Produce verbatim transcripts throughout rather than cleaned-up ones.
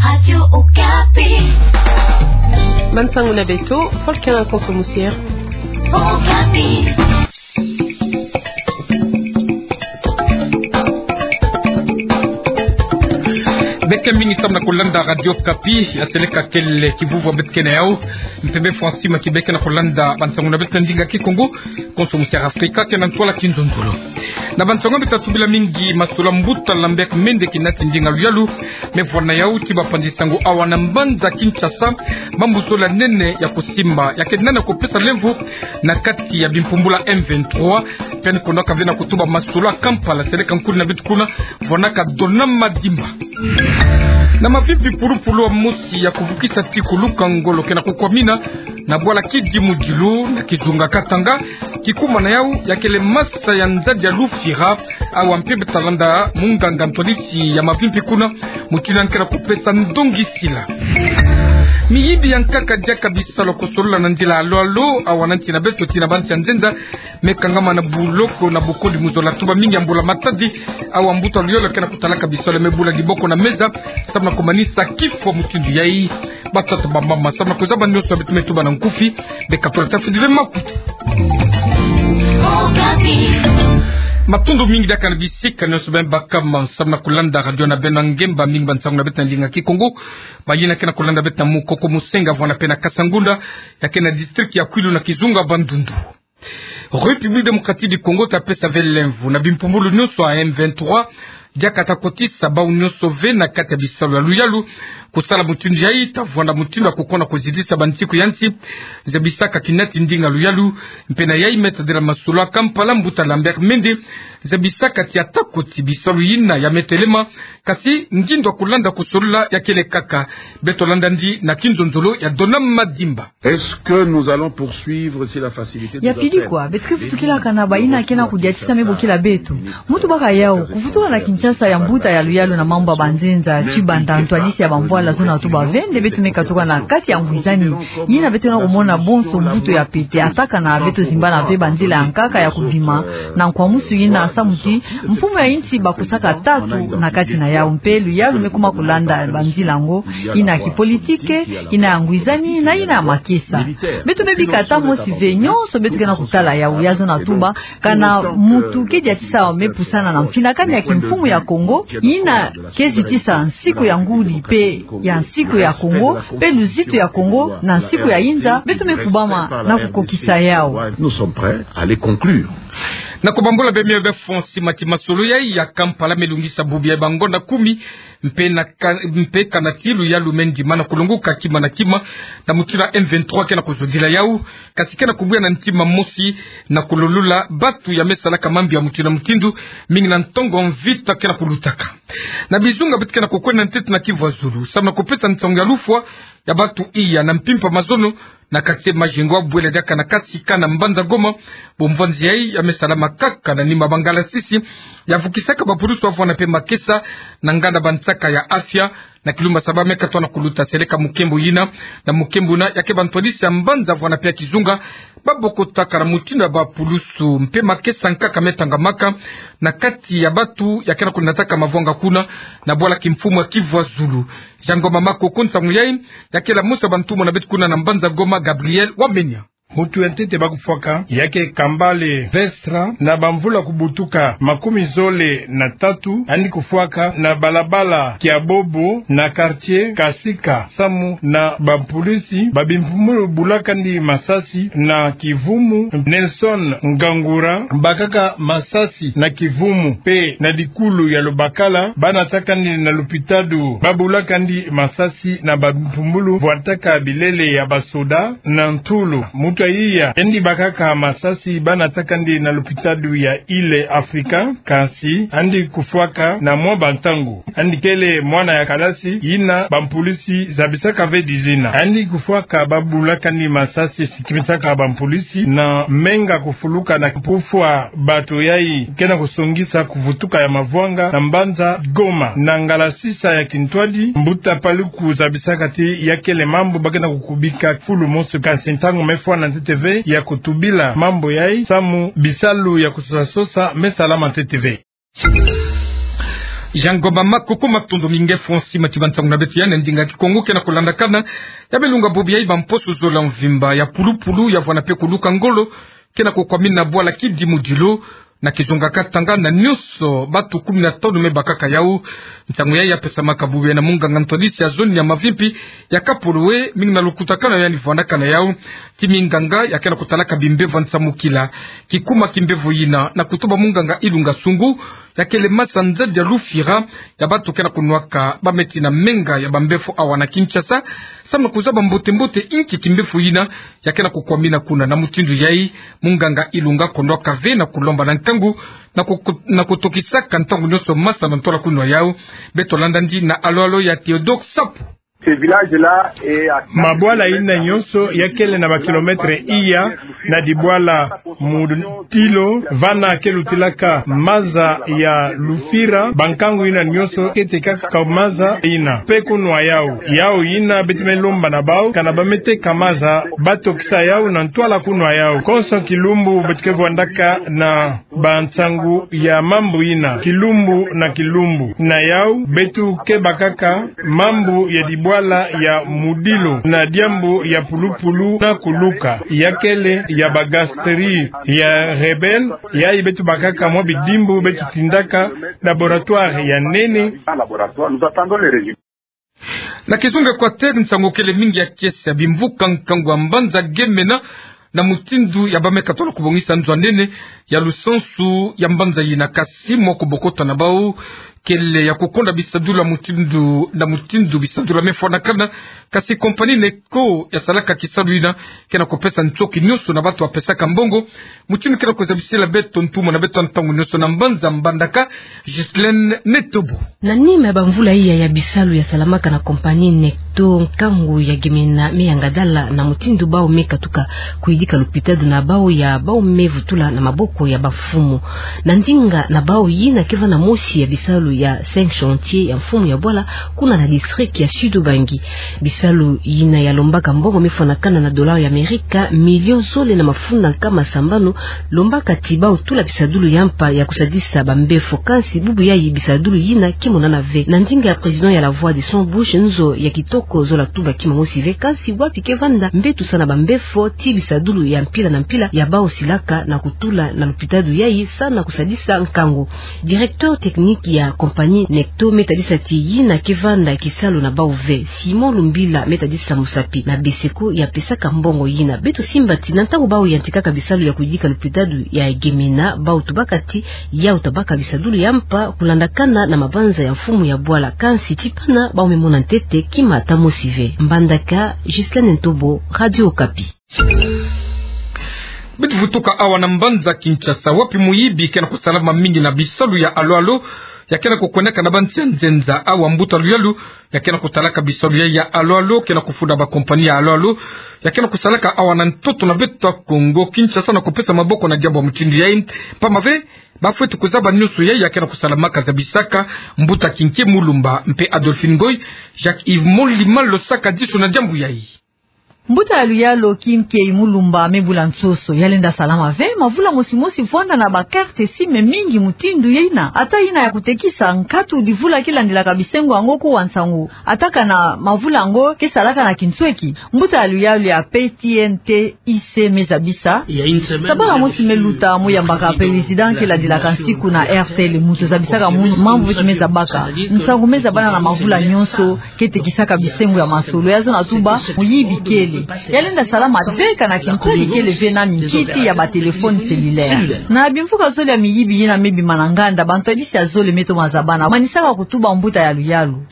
Radio Okapi. Bansango na beto, Volcan Konso Musier. Okapi. Beke mingi samu na kulanda Radio Okapi, ya seleka kele kivuvua beto kena yau. Mpembe Francis Maki beke na kulanda bansango na beto na ndinga Kikongo. Konso Musier Afrika kena ntwala kinzonzolo. Na bansango beto tubila mingi, masolo a mbuta Lambert Mende kinati ndinga luyalu me vwanda yau ti bapanzi sango awa na mbanza Kinshasa, mambu zole ya nene ya kusimba, ya kena na kupesa lemvo na kati ya bimpumbulu ya M vingt-trois, pene kono kavena kutuba masolo a Kampala, seleka nkuli na beto kuna, vwanaka Donama Dimba. Na mavimpi pulupulu, wa mosi ya kuvukisa ti kuluka ngolo kena kukwamina na bwala Kidimudilu na kizunga Katanga, kikumana yau ya kele masa ya nzadi ya lufira, awa mpe beto talanda munganga ntwadisi ya mavimpi kuna, mutindu yandi kena kupesa ndongisila. Miyibi ya nkaka diaka bisalu kusolola na nzila alo alo, awa na nsi na beto ti na bansi ya nzenza, me kangama na buloko na bukodi mu zola tuba mingi ya mbula matadi, awa mbuta luyalu kena kutalaka bisalu me bula diboko na meza, samu na kumanisa kifwa mutindu yai. Batata, bamama, samu na kuzaba nionso beto me tuba na nkufi, beka tula tafidile makutu. Matondo mingi diaka na bisika nionso beno bakama samu na kulanda radio na beno ya ngemba, mingi bansango na beto na ndinga Kikongo. Bayina kena kulanda beto na Mukoko, Musenga, vwanda mpe na Kasangunda, ya kena district ya Kwilu na kizunga Bandundu. République Démocratique du Congo ta pesa ve lemvo na bimpumbulu nionso ya M vingt-trois, diaka ta kotisa bau nionso ve na kati ya bisalu ya luyalu. Kusala mutindu yai ta vwanda mutindu ya kukona kuzitisa bansiku ya nsi, zabisaka kinati ndinga luyalu, mpe na yai me tadila masolo a Kampala mbuta Lambert Mende, zabisaka ti ata koti bisalu yina ya me telema, kasi ngindo ya kulanda kusolola ya kele kaka. Beto landa yandi na kinzonzolo ya Donama Dimba. Est-ce que nous allons poursuivre si la facilité nous Ya pili kwa, beto ke vutukilaka na bayina kena kudiatisa me bokila beto? Mu tubaka yau, kuvutuka na Kinshasa ya mbuta ya luyalu na mambu ya banzenza, ti banda ntwadisi ya bamvwala zona tuba ve nde beto me katuka na kati ya ngwizani. Yina beto na kumona bonso mvutu ya pete, ata kana beto zimbana ve banzila ya nkaka ya kubima, na nkwamusu yina samu ti mfumu ya insi bakusaka tatu na kati na yau, mpe luyalu me kuma kulanda banzila yango, yina ya kipolitike, yina ya ngwizani, na yina ya makesa. Beto me bika ata mosi ve, nionso beto kena kutala yau, ya zona tuba, kana muntu ke diatisa me pusana na mfinakani ya kimfumu ya Kongo, yina ke zitisa nsiku ya ngudi mpe ya nsiku ya Kongo, mpe luzitu ya Kongo na nsiku ya inza, beto me kubama na kukokisa yau. Nous sommes prêts à les conclure. Na kubambula beno mio be fo, nsi mati masolo yai ya Kampala me lungisa bubu ya bangonda kumi, mpe na ka-, mpe kana ti luyalu me ndima na kulongoka kima na kima, na mutindu M vingt-trois kena kuzodila yau, kasi kena kubuya na ntima mosi na kulolula batu ya me salaka mambi ya mutindu na mutindu, mingi na ntongo mvita kena kulutaka. Na bizunga beto kena kukwenda ntete na Kivu ya Zulu, samu na kupesa nsangu ya lufwa ya batu iya na mpimpa mazono, na quartier Majengo, bwela diaka na Kasika na mbanza Goma, bomvwanzi yai ya me salama kaka na nima bangalasisi ya vukisaka bapulusu vwanda mpe makesa na nganda bansaka ya afya, na kilumba saba me katoa na kuluta seleka mukembo yina na mukembo yina, ya ke bantwadisi ya mbanza vwanda mpe ya kizunga babokotaka na mutindu ya bapulusu mpe makesa nkaka me tangamaka na kati ya batu ya kena kunataka mavwanga kuna na bwala kimfumu ya Kivu ya Zulu. Jean Ngoma Makoko, nsangu yai ya kela mosi ya bantumwa na beto kuna na mbanza Goma, Gabriel Wamenya. Mutu ya ntete ba kufwaka ya ke Kambale Vestra, na bamvula kubutuka makumi zole na tatu, yandi kufwaka na balabala Kiabobo na quartier Kasika, samu na bapulusu ba bimpumbulu bulaka yandi masasi na kivumu. Nelson Ngangura bakaka masasi na kivumu, mpe na dikulu ya Lubakala ba nataka yandi na lupitalu, ba bulaka yandi masasi na bampumbulu vwataka bilele ya basoda na ntulu. Mutu ya iya yandi bakaka masasi ba nataka yandi na lupitalu ya Ile Afrika, kasi yandi kufwaka na mwa bantangu. Yandi kele mwana ya kalasi yina bampulisi zabisaka ve dizina. Yandi kufwaka ba bulaka yandi masasi, sikimisaka bampulisi na menga kufuluka na kufwa bato yai kena kusongisa kuvutuka ya mavwanga na mbanza Goma. Na ngala sisa ya kintwadi, mbuta Paluku zabisaka ti ya kele mambu ba kena kukubika fulu mosi, kasi ntangu me fwa na ntete ve ya kutubila mambu yai, samu bisalu ya kusosa-sosa me salama ntete ve. Jean Ngoma Makuku, matondo mingi. Francis Matiba, nsangu na beto ya na ndinga Kikongo ke na kulandakana ya bilunga bobo ya bamposo zole mvimba ya pulupulu ya vwanda mpe kuluka ngolo ke na kukwamina bwala Kidi Mudilo na kizunga Katanga na nyonso, bato kumi na tanu me bakaka yau. Nsangu ya ya pesamaka bobo ya na munganga ntwadisi ya zone ya Mavimpi ya Kapolwe, mingi na lukutakanu ya ni vwandakana yau ti minganga ya ke na kutalaka bimbevo ya nsamukila. Kikuma kimbevo yina na kutuba munganga Ilunga Sungu, ya kele maza nzadi ya lufira ya bato ke na kunwaka, ba me tina menga ya bambevo awa na Kinshasa, samu na kuzaba mbote-mbote inki kimbevo yina ya ke na kukwamina kuna. Na mutindu yai, munganga Ilunga kondwaka ve na kulomba na nkangu na ku-, na kutokisaka ntangu nyonso maza na ntwala kunwa yau. Beto landa ndi na alo-alo ya Theodore Sapu. Mabwala yina nyonso ya kele na ba kilomètre iya na dibwala Mudilo, vana ke lutilaka maza ya lufira. Bankangu yina nyonso ke tekaka maza yina mpe kunwa yau. Yau yina beto me lomba na bau, kana ba me teka maza, ba tokisa yau na ntwala kunwa yau. Konso kilumbu beto ke vwandaka na bansangu ya mambu yina, kilumbu na kilumbu. Na yau, beto ke bakaka mambu ya dibwala ya Mudilo na diambu ya pulupulu na kuluka, ya kele ya ba gastrites ya Rebelle, yayi beto bakaka mwa bidimbu beto tindaka laboratoire ya nene. Na kizunga Equateur, nsangu kele mingi ya kiese ya bimvuka nkangu ya mbanza Gemena, na mutindu ya ba me katula kubongisa nzo ya nene ya lusansu ya mbanza yina. Kasi mwa kubokota na bau kele ya kukonda bisadulu ya mutindu na mutindu, bisadulu ya me fwanakana. Kasi compagnie NECTO ya salaka kisalu yina ke na kupesa ntoki nyonso na bato ya pesaka mbongo. Mutindu ke na kuzabisila beto ntumwa na beto ntangu nyonso na mbanza Mbandaka, Ghislaine Netobo. Na nima ya bamvula iya ya bisalu ya salamaka na compagnie NECTO, nkangu ya Gemena me yangadala na mutindu bau me katuka kuyidika lupitalu na bau ya bau me vutula na maboko ya bamfumu. Na ndinga na bau, yina ke vanda mosi ya bisalu ya cinq chantiers ya mfumu ya bwala kuna na district ya Sud-Ubangi. Bisalu yina ya lombaka mbongo me fwanakana na dollars ya Amerika millions zole na mafunda nkama sambanu, lombaka ti bau tula bisadulu ya mpa ya kusadisa bambevo. Kansi bubu yayi bisadulu yina ke monana ve. Na ndinga ya président ya La Voix de Sans Bouche, nzo ya kitoko zola tuba kima mosi ve, kansi wapi ke vanda mbetusa na bambevo ti bisadulu ya mpila na mpila ya bau silaka na kutula na lupitalu yayi sa na kusadisa nkangu. Directeur technique ya compagnie NECTO me tadisa ti yina ke vanda kisalu na bau ve. Simon Lumbila me tadisa musapi na BESECO ya pesaka mbongo yina. Beto simba ti na ntangu bau yantikaka bisalu ya kuyidika lupitalu ya Gemena, bau tubaka ti yau tabaka bisadulu ya mpa kulandakana na mabanza ya mfumu ya bwala. Kansi ti pana bau me mona ntete kima ata mosi ve. Mbandaka, Ghislaine Ntobo, Radio Okapi. Beto vutuka awa na mbanza Kinshasa, wapi muyibi ke na kusalama mingi na bisalu ya alo-alo ya ke na kukwendaka na bansi ya nzenza. Awa mbuta luyalu ya ke na kutalaka bisalu ya, ya alo-alo ke na kufunda ba compagnie ya alo-alo ya ke na kusalaka awa na ntoto na beto ya Kongo Kinshasa na kupesa maboko na diambu ya mutindu yayi. Mpamba ve, ba fweti kuzaba nyonso yayi ya ke na kusalamaka. Zabisaka mbuta Kinke Mulumba mpe Adolphine Ngoy, Jacques Yves Molima losaka diso na diambu yayi. Mbuta ya luyalu Kinke Mulumba me bula nsoso, ya lenda salama ve. Mavula mosi-mosi vwanda na ba carte SIM mingi mutindu yina, ata yina ya kutekisa, nkatu divula ke landilaka bisengo yango kuwa nsangu, ata kana mavula yango ke salaka na kinsweki. Mbuta ya luyalu ya P T N T I C me zabisa. Sabala mosi me luta, mu yambaka président ke landilaka nsiku na R T L, muntu zabisaka munu mambu ti me zabaka. Nsangu me zabana na mavula nyonso, ke tekisaka bisengo ya masolo. Ya zona tuba muyibi kele. Ya lenda salama ve kana kinsweki kele ve na minkiti ya ba téléphone cellulaire. Na bimvuka zole ya miyibi yina me bima na nganda, bantwadisi ya zole me toma zabana. Manisaka kutuba mbuta ya luyalu.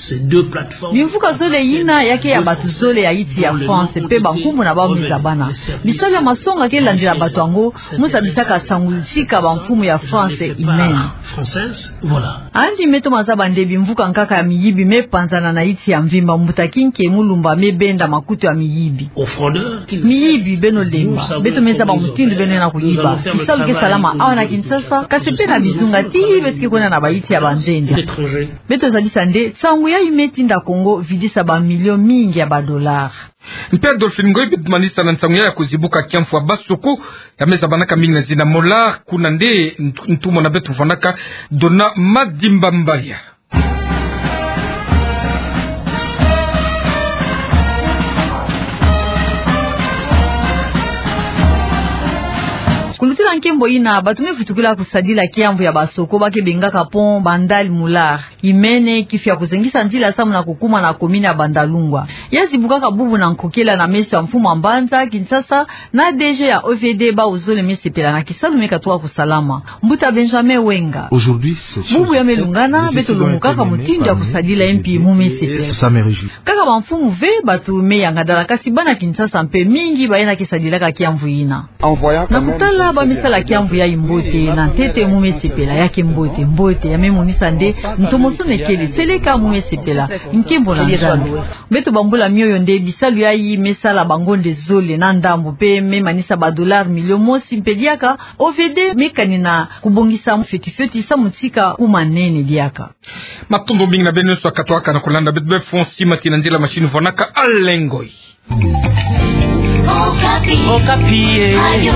Bimvuka zole yina ya ke ya bato zole ya insi ya France, mpe bankumbu na bau me zabana. Bisalu ya masonga ke landila bato yango, mu zabisaka nsangu sika bamfumu ya France imene. Yandi me toma zaba nde bimvuka nkaka ya miyibi me panzana na insi ya mvimba. Mbuta Kinke Mulumba me benda makutu ya miyibi. Miyibi, beno lemba. Beto me zaba mutindu beno lenda kuyiba. Bisalu ke salama awa na Kinshasa, kasi mpe na bizunga ti beto ke kwenda na bainsi ya banzenza. Beto zabisa nde nsangu yayi me tinda Congo vidisa ba millions mingi ya ba dollars. Mpe Adolphine Ngoy, beto manisa na nsangu ya, ya kuzibuka kiamfwa Basoko, ya me zabanaka mingi na zina Molar, kuna nde ntu-, ntumwa na beto vwandaka, Dona Madimba Mbalia. Nkembo ina, bato me futukila kusadila kiamvu ya basoko ba ke bengaka pont Bandal Mular. Imene kifia kuzengisa nzila samu na kukuma na commune ya Bandalungwa. Ya zibukaka bubu na nkokela na meso ya mfumu wa mbanza Kinshasa na D G ya O V D, bawu zole me sepela na kisalu me katuka kusalama. Mbuta Benjamin Wenga. Bubu ya me lungana, beto lumukaka mutindu ya kusadila mpi mu me sepela. Kaka bamfumu ve, bato me yangadala, kasi bana Kinshasa mpe mingi bayena ke sadilaka kiamvu ina. Na kutala ba me sala kiamvu yayi mbote, na ntete mu me sepela, ya ke mbote, mbote, ya me monisa nde ntomosono kele, seleka mu me sepela, nkembo na Nzambi. Beto bambula mioyo nde bisalu yayi me sala bangonde zole na ndambu mpe me manisa ba dollars million mosi mpe diaka, O V D me kani na kubongisa fioti fioti samu tika kuma nene diaka. Matondo mingi na beno nyonso akatuaka na kulanda beto be fonsi mati na nzila machine vonaka alengoi. Okapi. Okapi, eh. Radio.